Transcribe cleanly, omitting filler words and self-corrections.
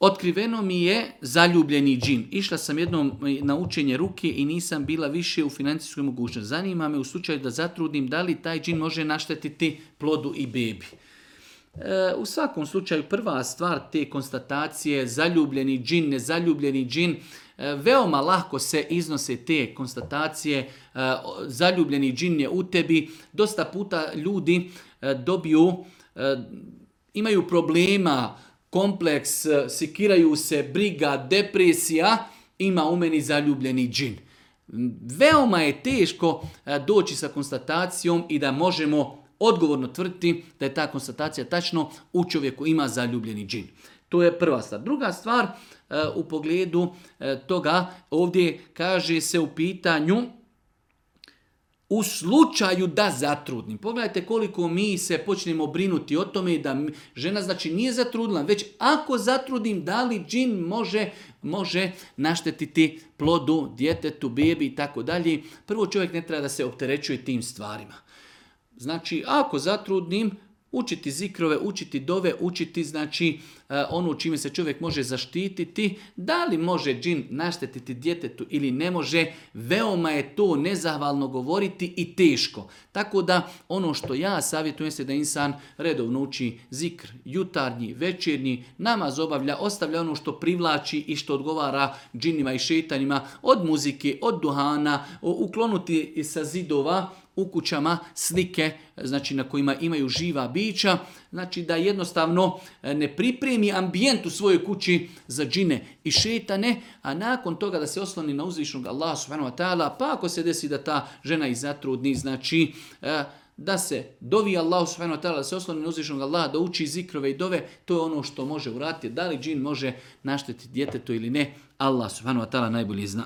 otkriveno mi je zaljubljeni džin. Išla sam jednom na učenje ruke i nisam bila više u financijskoj mogućnosti. Zanima me u slučaju da zatrudnim da li taj džin može naštetiti plodu i bebi. U svakom slučaju prva stvar te konstatacije zaljubljeni džin, nezaljubljeni džin, veoma lako se iznose te konstatacije, zaljubljeni džin je u tebi. Dosta puta ljudi imaju problema, kompleks, sikiraju se, briga, depresija, ima u meni zaljubljeni džin. Veoma je teško doći sa konstatacijom i da možemo odgovorno tvrditi da je ta konstatacija tačno, u čovjeku ima zaljubljeni džin. To je prva stvar. Druga stvar u pogledu toga, ovdje kaže se u pitanju u slučaju da zatrudnim. Pogledajte koliko mi se počnemo brinuti o tome da žena znači nije zatrudnila, već ako zatrudim, da li džin može naštetiti plodu, djetetu, bebi i tako dalje. Prvo, čovjek ne treba da se opterećuje tim stvarima. Znači, ako zatrudnim, učiti zikrove, učiti dove, učiti znači ono čime se čovjek može zaštititi, da li može džin naštetiti djetetu ili ne može, veoma je to nezahvalno govoriti i teško. Tako da ono što ja savjetujem se da insan redovno uči zikr, jutarnji, večernji, namaz obavlja, ostavlja ono što privlači i što odgovara džinima i šeitanima, od muzike, od duhana, uklonuti sa zidova u kućama slike, znači na kojima imaju živa bića, znači da jednostavno ne pripremi ambijent u svojoj kući za džine i šetane, a nakon toga da se osloni na uzvišnog Allaha subhanahu wa ta'ala, pa ako se desi da ta žena i zatrudni, znači da se dovi Allahu subhanahu wa ta'ala, da se osloni na uzvišnog Allaha, da uči zikrove i dove, to je ono što može uraditi. Da li džin može naštetiti djetetu ili ne, Allah subhanahu wa ta'ala najbolje zna.